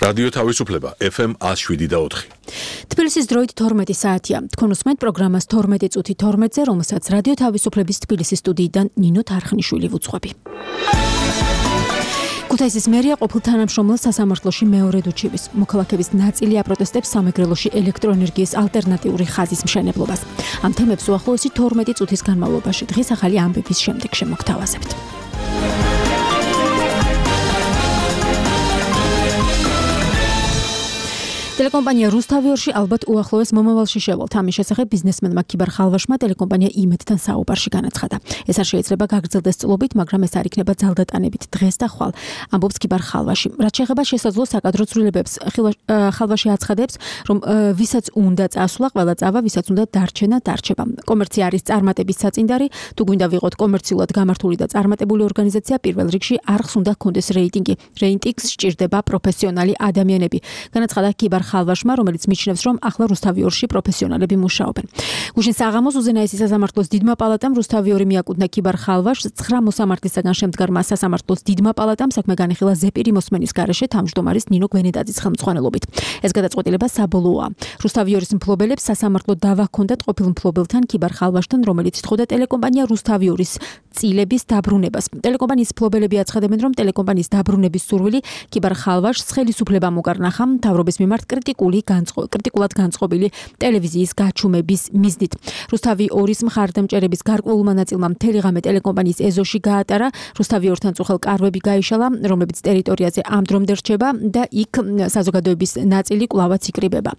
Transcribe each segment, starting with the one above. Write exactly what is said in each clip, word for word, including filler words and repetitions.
რადიო თავისუფლება ეფ ემ one oh seven და four. თბილისის დროით თორმეტი საათია. თქვენ უსმენთ პროგრამას თორმეტი წუთი თორმეტზე, რომელსაც რადიო თავისუფლების თბილისის სტუდიიდან ნინო თარხნიშვილი ვუძღვები. ქუთაისის მერია ყოფილ თანამშრომელს სასამართლოში მეორედ უჩივის. მოქალაქეების ნაწილი აპროტესტებს სამეგრელოში ელექტროენერგიის ალტერნატიული ხაზის მშენებლობას. ამ თემებს უახლოესი თორმეტი წუთის განმავლობაში დღის ახალი ამბების შემდეგ შემოგთავაზებთ. ტელეკომპანია რუსთავიორში ალბათ უახლოეს მომავალში შევალთ. ამის შესახებ ბიზნესმენმა ქიბარ ხალვაშმა ტელეკომპანია იმედთან საუბარში განაცხადა. ეს არ შეიძლება გაგრძელდეს წლობით, მაგრამ ეს არ იქნება ძალდატანებით დღეს და ხვალ. ამბობს ქიბარ ხალვაში. რაც შეეხება შესაძლო საკადრო ცვლილებებს, ხალვაში აცხადებს, რომ ვისაც უნდა წასვლა, ყველა წავა, ვისაც უნდა დარჩენა, დარჩება. კომერცია არის წარმატების საწინდარი, თუ გვინდა ვიყოთ კომერციულად გამართული და წარმატებული ორგანიზაცია, პირველ რიგში არხს უნდა ჰქონდეს რეიტინგი. რეიტინგს სჭირდება პროფესიონალი ადამიანები. განაცხადა ქიბარ ხალვაშმა, რომელიც მიჩნევს, რომ ახლა რუსთავიორში პროფესიონალები მუშაობენ. გუშინ საღამოს უზენაესი სასამართლოს დიდმა პალატამ რუსთავიორი მიაკუთვნა ქიბარ ხალვაშს ცხრა მოსამართლისაგან შემდგარმა სასამართლოს დიდმა პალატამ საქმე განიხილა ზეპირი მოსმენის გარეშე თავმჯდომარის ნინო გვენედაძის ხელმძღვანელობით. ეს გადაწყვეტილება საბოლოოა. რუსთავიორის მფლობელებს სასამართლო დავა ჰქონდათ ყოფილ მფლობელთან ქიბარ ხალვაშთან, რომელიც თხოვდა ტელეკომპანია რუსთავიორის წილების დაბრუნებას. ტელეკომპანიის მფლობელები აცხადებენ, რომ ტელეკომპანიის დაბრუნების სურვილი ქიბარ ხალვაშს ხელისუფლებამ უკარნახა მთავრობის მიმართ კრიტიკული განწყო კრიტიკულად განწყობილი ტელევიზიის გაჩუმების მიზნით. რუსთავიორის მხარდამჭერების გარკვეულმა ნაწილმა მთელი ღამე ტელეკომპანიის ეზოში გაატარა. რუსთავიორთან წუხელ კარვები გაიშალა, რომლებიც ტერიტორიაზე ამ დრომდე რჩება და იქ საზოგადოების ნაწილი კვლავაც იკრიბება.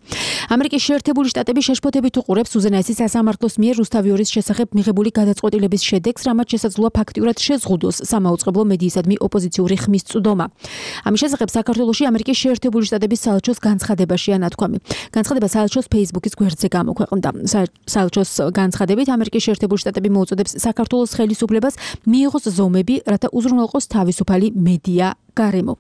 ამერიკის შეერთებული შტატები შეშფოთებით უყურებს უზენაესი სასამართლოს მიერ რუსთავიორის შესახებ მიღებული გადაწყვეტილების შედეგს, რამაც შესაძლოა ფაქტიურად შეზღუდოს სამაუწყებლო მედიისადმი ოპოზიციური ხმის წვდომა. ამის შესახებ საქართველოში ამერიკის შეერთებული შტატების საელჩოს განცხადებაშია ნათქვამი. განცხადება საელჩოს Facebook-ის გვერდზე გამოქვეყნდა. საელჩოს განცხადებით ამერიკის შეერთებული შტატები მოუწოდებს საქართველოს ხელისუფლებას მიიღოს ზომები, რათა უზრუნველყოს თავისუფალი მედია გარემო.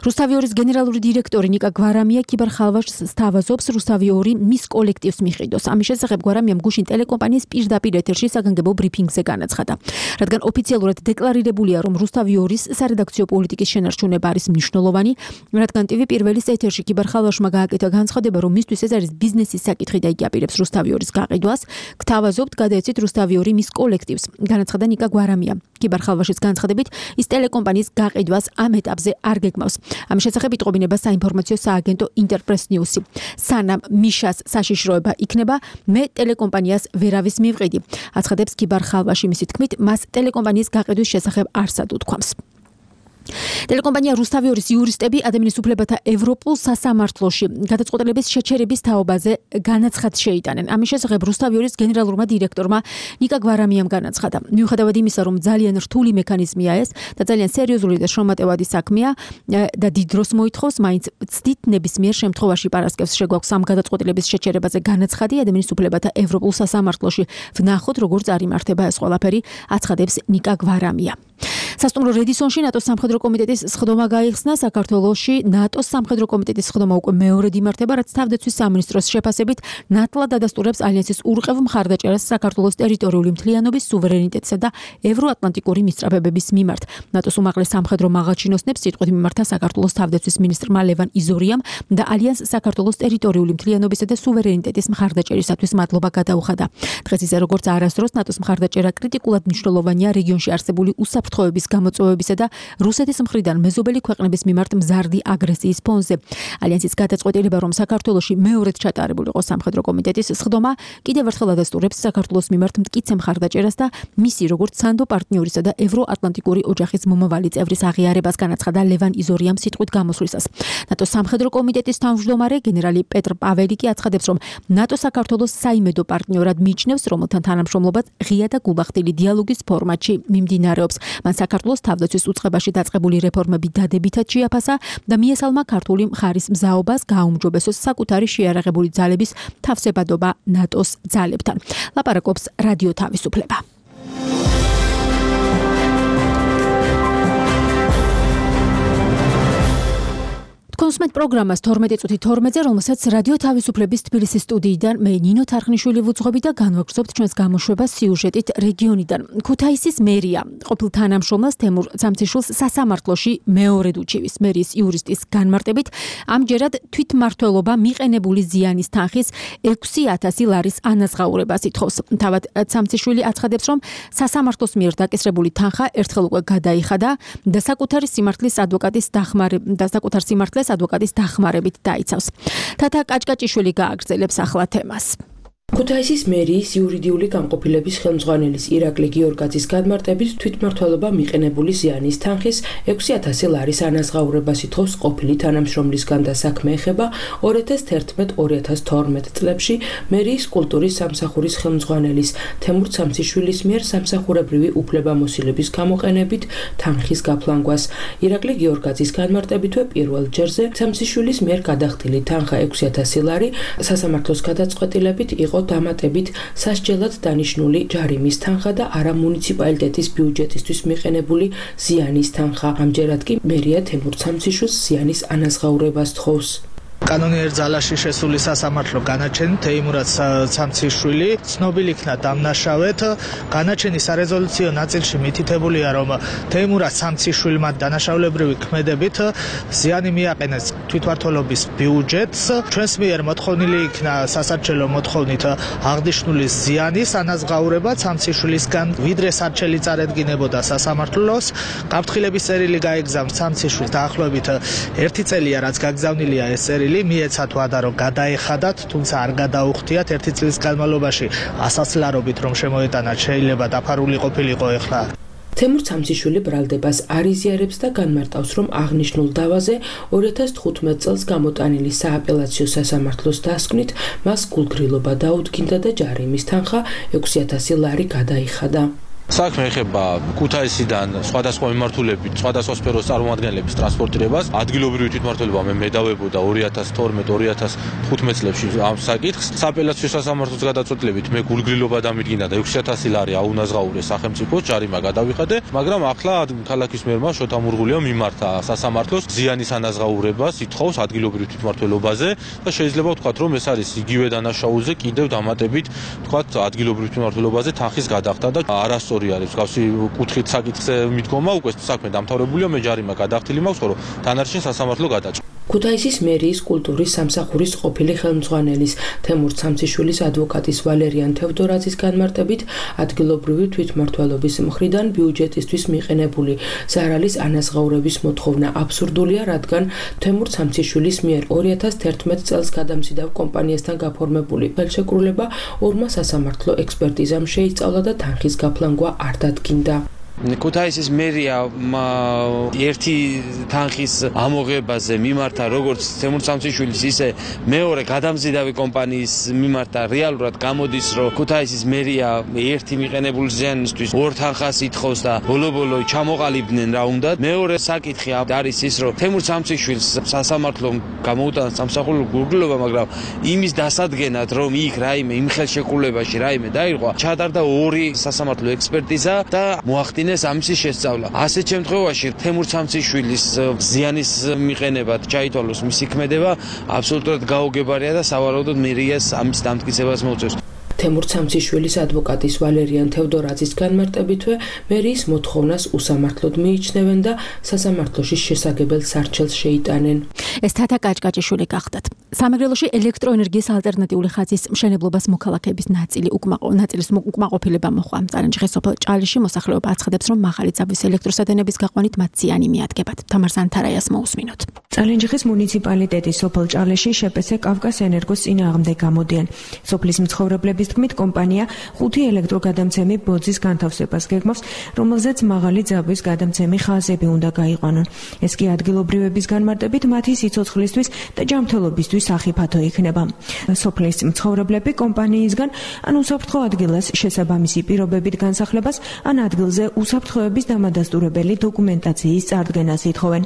რუსთავიორის გენერალური დირექტორი ნიკა გვარამია ქიბარ ხალვაშს სთავაზობს რუსთავიორი მის კოლექტივს მიჰყიდოს. ამის შესახებ გვარამიამ გუშინ ტელეკომპანიის პირდაპირ ეთერში საგანგებო ბრიფინგზე განაცხადა. რადგან ოფიციალურად დეკლარირებულია, რომ რუსთავიორის სარედაქციო პოლიტიკის შენარჩუნება არის მნიშვნელოვანი, რადგან ტივი პირველის ეთერში ქიბარ ხალვაშმა გააკეთა განცხადება, რომ მისთვის ეს არის ბიზნესის საკითხი და იგი აპირებს რუსთავიორის გაყიდვას, გთავაზობთ გადაეცით რუსთავიორი მის კოლექტივს. განაცხადა ნიკა გვარამია. ქიბარ ხალვაშის განცხადებით, ის ტელეკომპანიის გაყიდვას ამ ეტაპზე არ გეგმავს. ამის შესახებ იტყობინება საინფორმაციო სააგენტო ინტერპრეს ნიუსი. სანამ მიშას საშიშროება იქნება, მე ტელეკომპანიას ვერავის მივყიდი. აცხადებს ქიბარ ხალვაში, მისი თქმით, მას ტელეკომპანიის გაყიდვის შესახებ არსად უთქვამს. ტელეკომპანია რუსთავიორის იურისტები ადამიანის უფლებათა ევროპულ სასამართლოში გადაწყვეტილების შეჩერების თაობაზე განაცხადს შეიტანენ. ამის შესახებ რუსთავიორის გენერალურმა დირექტორმა ნიკა გვარამიამ განაცხადა. მიუხედავად იმისა, რომ ძალიან რთული მექანიზმია ეს და ძალიან სერიოზული და შრომატევადი საქმეა და დიდ დროს მოითხოვს, მაინც ცდით ნებისმიერ შემთხვევაში პარასკევს შეგვაქვს ამ გადაწყვეტილების შეჩერებაზე განაცხადი ადამიანის უფლებათა ევროპულ სასამართლოში. ვნახოთ, როგორც არიმართება ეს ყველაფერი, აცხადებს ნიკა გვარამია. სასტუმრო რედისონში ნატოს სამხედრო კომიტეტის სხდომა გაიხსნა. საქართველოში ნატოს სამხედრო კომიტეტის სხდომა უკვე მეორედ იმართება, რაც თავდაცვის სამინისტროს შეფასებით ნატლად ადასტურებს ალიანსის ურყევ მხარდაჭერას საქართველოს ტერიტორიული მთლიანობის, სუვერენიტეტსა და ევროატლანტიკური მისწრაფებების მიმართ. ნატოს უმაღლეს სამხედრო მაღალჩინოსნებს სიტყვით მიმართა საქართველოს თავდაცვის მინისტრმა ლევან იზორიამ და ალიანს საქართველოს ტერიტორიული მთლიანობისა და სუვერენიტეტის მხარდაჭერისათვის მადლობა გადაუხადა. დღეს ისე როგორც არასდროს ნატოს მხარდაჭერა კრიტიკულად მნიშვნელოვანია რეგიონში არსებული უსაფრთხოების გამოწვევებისა და რუსეთის მხრიდან მეზობელი ქვეყნების მიმართ მზარდი აგრესიის ფონზე. ალიანსის გადაწყვეტილება, რომ საქართველოში მეორედ ჩატარებული იყო სამხედრო კომიტეტის სხდომა, კიდევ ერთხელ ადასტურებს საქართველოს მიმართ მტკიცე მხარდაჭერას და მისი როგორც სანდო პარტნიორისა და ევროატლანტიკური ოჯახის მომავალი წევრის აღიარებას, განაცხადა ლევან იზორიამ სიტყვით გამოსვლისას. ნატოს სამხედრო კომიტეტის თავმჯდომარე გენერალი პეტრ პაველი კი აცხადებს, რომ ნატო საქართველოს საიმედო პარტნიორად მიიჩნევს, რომელთან თანამშრომლობაც ღია და გულახდილი დიალოგის ფორმატში მიმდინარეობს. მან საქართველოს თავდაცვის უწყებაში დაწყებული რეფორმები დადებითად შეაფასა და მიესალმა ქართული მხარის მზაობას გააუმჯობესოს საკუთარი შეიარაღებული ძალების თავსებადობა ნატოს ძალებთან. ლაპარაკობს რადიო თავისუფლება. თქვენ მოვსმენთ პროგრამას თორმეტი წუთი თორმეტზე, რომელსაც რადიო თავისუფლების თბილისის სტუდიიდან მე ნინო თარხნიშვილი ვუძღვები და განვაგრძობთ ჩვენს გამოშვებას სიუჟეტით რეგიონიდან. ქუთაისის მერია ყოფილ თანამშრომელს თემურ ცამციშვილს სასამართლოში მეორედ უჩივის. მერიის იურისტის განმარტებით, ამჯერად თვითმმართველობა მიყენებული ზიანის თანხის ექვსი ათასი ლარის ანაზღაურებას ითხოვს. თავად ცამციშვილი აცხადებს, რომ სასამართლოს მიერ დაკისრებული თანხა ერთხელ უკვე გადაიხადა და საკუთარი სიმართლის ადვოკატის დახმარებით და საკუთარ სიმართლეს ადვოკატის დახმარებით დაიცავს. თათა კაჭკაჭიშვილი გააგრძელებს ახლა თემას. ქუთაისის მერიის იურიდიული გამყოფილების ხელმძღვანელის ირაკლი გიორგაძის განმარტებით თვითმმართველობა მიყენებული ზიანის თანხის ექვსი ათასი ლარის ანაზღაურებას ითხოვს ყოფილი თანამშრომლისგან და საქმე ეხება ორი ათას თერთმეტ ორი ათას თორმეტ წლებში მერიის კულტურის სამსახურის ხელმძღვანელის თემურ ცამციშვილის მიერ სამსახურებრივი უფლებამოსილების გამოყენებით თანხის გაფლანგვას. ირაკლი გიორგაძის განმარტებითვე პირველ ჯერზე ცამციშვილის მიერ გადახდილი თანხა ექვსი ათასი ლარი სასამართლოს გადაწყვეტილებით იყო დამატებით სასჯელად დანიშნული ჯარიმის თანხა და არა მუნიციპალიტეტის ბიუჯეტისთვის მიყენებული ზიანის თანხა. ამჯერად კი მერია თემურ ცამციშვილს ზიანის ანაზღაურებას თხოვს. კანონიერ ძალაში შესული სასამართლო განაჩენი თეიმურად ცამციშვილი ცნობილი იქნა დამნაშავედ. განაჩენის სარეზოლუციო ნაწილში მითითებულია, რომ თეიმურად ცამციშვილმა დანაშაულებრივი ქმედებით ზიანი მიაყენეს თვითმმართველობის ბიუჯეტს. ჩვენს მიერ მოთხოვნილი იქნა სასარჩელო მოთხოვნით აღნიშნული ზიანის ანაზღაურება ცამციშვილისგან, ვიდრე სარჩელი წარედგინებოდა სასამართლოს. გაფრთხილების წერილი გაეგზავნეს ცამციშვილს დაახლოებით ერთი წელია, რაც გაგზავნილია ეს წერილი. მიეცათ ვადა, რომ გადაეხადათ, თუმცა არ გადაუხდიათ. ერთი წლის განმავლობაში ასასლარობით რომ შემოეტანათ, შეიძლება დაფარული ყოფილიყო ეხლა. თემურ ცამციშვილი ბრალდებას არ იზიარებს და განმარტავს, რომ აღნიშნულ დავაზე ორი ათას თხუთმეტ წელს გამოტანილი სააპელაციო სასამართლოს დასკვნით მას გულგრილობა დაუდგინდა და ჯარიმის თანხა ექვსი ათასი ლარი გადაიხადა. საქმე ეხება ქუთაისიდან სხვადასხვა მიმართულებით, სხვადასხვა სფეროს წარმომადგენლების ტრანსპორტირებას. ადგილობრივი თვითმმართველობა მე მედავებოდა ორი ათას თორმეტ ორი ათას თხუთმეტ წლებში ამ საკითხს. სააპელაციო სასამართლოს გადაწყვეტილებით მე გულგრილობა დამიდგინა და ექვსი ათასი ლარი აუნაზღაურეს სახელმწიფოს, ჯარიმა გადავიხადე, მაგრამ ახლა ქალაქის მერმა შოთა მურღულიამ მიმართა სასამართლოს ზიანის ანაზღაურებას ითხოვს ადგილობრივ თვითმმართველობაზე და შეიძლება ვთქვათ, რომ ეს არის იგივე დანაშაულზე კიდევ დამატებით ვთქვათ ადგილობრივ თვითმმართველობაზე თანხის გადახდა და არასწორი არის გავსი კუთხით საკითხზე მიდგომა, უკვე საქმე დამთავრებულია, მე ჯარიმა გადახდილი მაქვს, ხოლო დანარჩენ სასამართლო გადაჭრა. ქუთაისის მერიის კულტურის სამსახურის ყოფილი ხელმძღვანელის თემურ ცამციშვილის ადვოკატის ვალერიან თევდორაძის განმარტებით, ადგილობრივი თვითმმართველობის მხრიდან ბიუჯეტისთვის მიყენებული ზარალის ანაზღაურების მოთხოვნა აბსურდულია, რადგან თემურ ცამციშვილის მიერ ორი ათას თერთმეტ წელს გადამზიდავ კომპანიასთან გაფორმებული ხელშეკრულება ორმა სასამართლო ექსპერტიზამ შეისწავლა და თანხის გაფლანგვა არ დადგინდა. ქუთაისის მერია ერთი თანხის ამოღებაზე მიმართა როგორც თემურ ცამციშვილის, ისე მეორე გადამზიდავი კომპანიის მიმართა. რეალურად გამოდის, რომ ქუთაისის მერია ერთი მიყენებული ზიანისთვის ორ თანხას ითხოვს და ბოლო-ბოლო ჩამოყალიბდნენ რა უნდა. მეორე საკითხი არის ის, რომ თემურ ცამციშვილს სასამართლომ გამოუტანა სამსახურო გულგრილობა, მაგრამ იმის დასადგენად, რომ იქ რაიმე იმ ხელშეკრულებაში რაიმე დაირღვა, ჩატარდა ორი სასამართლო ექსპერტიზა და მოახდინეს ამისი შესწავლა. ასეთ შემთხვევაში თემურ ცამციშვილის ზიანის მიყენებად ჩაითვალოს მისი ქმედება აბსოლუტურად გაუგებარია და სავარაუდოდ მერიას ამის დამტკიცებას მოუწევს. თემურ ცამციშვილის ადვოკატის ვალერიან თევდორაძის განმარტებითვე მერიის მოთხოვნას უსამართლოდ მიიჩნევენ და სასამართლოში შესაგებელ სარჩელს შეიტანენ. ეს თათა კაჭკაჭიშვილი გახდათ. სამეგრელოში ელექტროენერგიის ალტერნატიული ხაზის მშენებლობას მოქალაქეების ნაწილი უკმაყო ნაწილის უკმაყოფილება მოხდა. წალენჯიხის სოფელ ჭალიში მოსახლეობა აცხადებს, რომ მაღალი ძაბვის ელექტროსადენების გაყვანით მათ ზიანი მიადგებათ. თამარ ზანთარაიას მოусმინოთ. წალენჯიხის მუნიციპალიტეტის სოფელ ჭალიში შეპესე კავკას ენერგოს წინააღმდეგ გამოდიან. სოფლის მცხოვრებლების თქმით, კომპანია ხუთი ელექტროგადამცემი ბოძის განთავსებას გეგმავს, რომელზეც მაღალი ძაბვის გადამცემი ხაზები უნდა გაიყვანონ. ეს კი ადგილობრივების განმარტებით მათი სიცოცხლისთვის და ჯანმრთელობისთვის სახიფათო იქნება. სოფლის მცხოვრებლები კომპანიისგან ან უსაფრთხო ადგილას შესაბამისი პირობებით განსახლებას, ან ადგილზე უსაფრთხოების დამადასტურებელი დოკუმენტაციის წარდგენას ითხოვენ.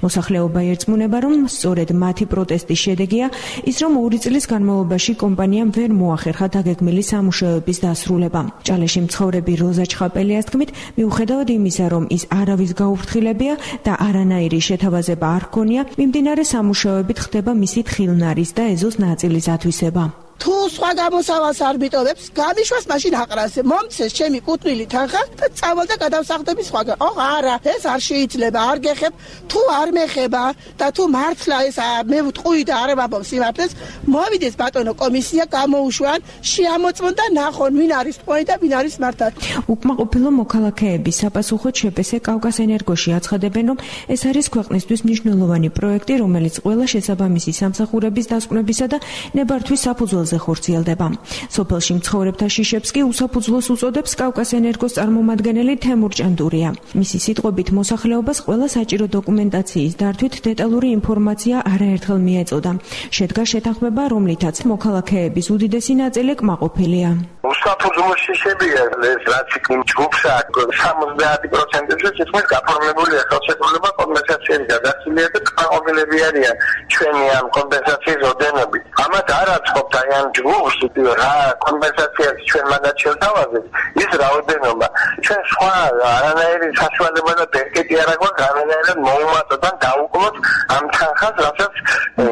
მოსახლეობა ერწმუნება, რომ სწორედ მათი პროტესტის შედეგია ის, რომ ორი წლის განმავლობაში კომპანიამ ვერ მოახერხა დაგეგმილი მთელი სამუშაოების დასრულება. ჭალეში მცხოვრები როზა ჩხაპელიას თქმით, მიუხედავად იმისა, რომ ის არავის გაუფრთხილებია და არანაირი შეთავაზება არ ჰქონია, მიმდინარე სამუშაოებით ხდება მისი თხილნარის და ეზოს ნაწილის ათვისება. თუ სხვა გამოსავალს არ მიტოვებს, გამიშვას მაშინ აყრასე. მომცეს ჩემი კუთვნილი თანხა და წავალ და გადავსახდები სხვაგან. ოღ არა, ეს არ შეიძლება, არ გეხებ. თუ არ მეხება და თუ მართლა ეს მე ვტყვი და არ ვაბობს სიმართლეს, მოვიდეს ბატონო კომისია, გამოუშვან, შეამოწმონ და ნახონ, ვინ არის ტყვი და ვინ არის მართალი. უკმაყოფილო მოქალაქეების საპასუხოდ შეპესე კავკას ენერგოში აცხადებენ, რომ ეს არის ქვეყნისთვის მნიშვნელოვანი პროექტი, რომელიც ყველა შესაბამისი სამსახურების დასკვნებისა და ნებართვის საფუძველზე ხორციელდება. სოფელში მცხოვრებთა შიშებს კი უსაფუძვლოს უწოდებს კავკას ენერგოს წარმომადგენელი თემურ ჭანდურია. მისი სიტყვებით მოსახლეობას ყველა საჭირო დოკუმენტაციის დართვით დეტალური ინფორმაცია არაერთხელ მიეწოდა. შედგა შეთანხმება, რომლითაც მოქალაქეების უდიდესი ნაწილი კმაყოფილია. უსაფუძვლო შიშებია ეს რაც იქ ჯგუფსა სამოცდაათი პროცენტზე თითქმის გაფორმებულია ხელშეკრულება კომპენსაციის გადაცემისა და კმაყოფილები არიან ჩვენი ამ კომპენსაციის ოდენობით. ამათ არ აწყობთ აი ამ ჯგუფს რა კომპენსაციას ჩვენ მანდ შევთავაზეთ ის რაოდენობა ჩვენ სხვა არანაირი საშუალება და ბერკეტი არ აქვს განანაირად მოუმატოთ და დაუკლოთ ამ თანხას რასაც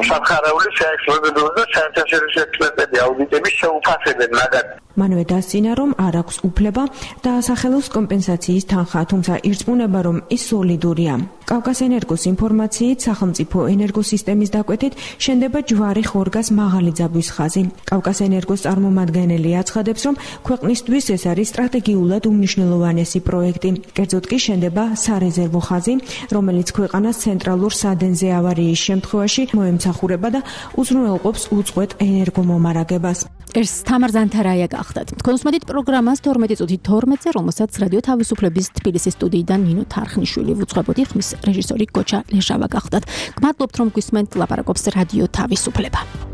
სამხარეული შეექსპერტებოდეს და საერთაშორისო ექსპერტები აუდიტები შეუფასებენ მაგათ. მანვე დასწინა, რომ არ აქვს უფლება დაასახელოს კომპენსაციის თანხა, თუმცა ირწმუნება, რომ ის სოლიდურია. კავკას ენერგოს ინფორმაციით სახელმწიფო ენერგოსისტემის დაკვეთით შენდება ჯვარი ხორგას მაღალი ძაბვის ხაზი. კავკას ენერგოს წარმომადგენელი აცხადებს, რომ ქვეყნისთვის ეს არის სტრატეგიულად უმნიშვნელოვანესი პროექტი. კერძოდ კი შენდება სარეზერვო ხაზი, რომელიც ქვეყანას ცენტრალურ სადენზე ავარიის შემთხვევაში მოემსახურება და უზრუნველყოფს უწყვეტ ენერგომომარაგებას. ეს თამარ ზანთარაია გახდათ. თქვენ უსმენთ პროგრამას თორმეტი წუთი თორმეტზე, რომელსაც რადიო თავისუფლების თბილისის სტუდიიდან ნინო თარხნიშვილი ვუძღვებოდი, ხმის რეჟისორი გოჩა ლეშავა გახდათ. გმადლობთ, რომ გვისმენთ, ლაპარაკობს რადიო თავისუფლება.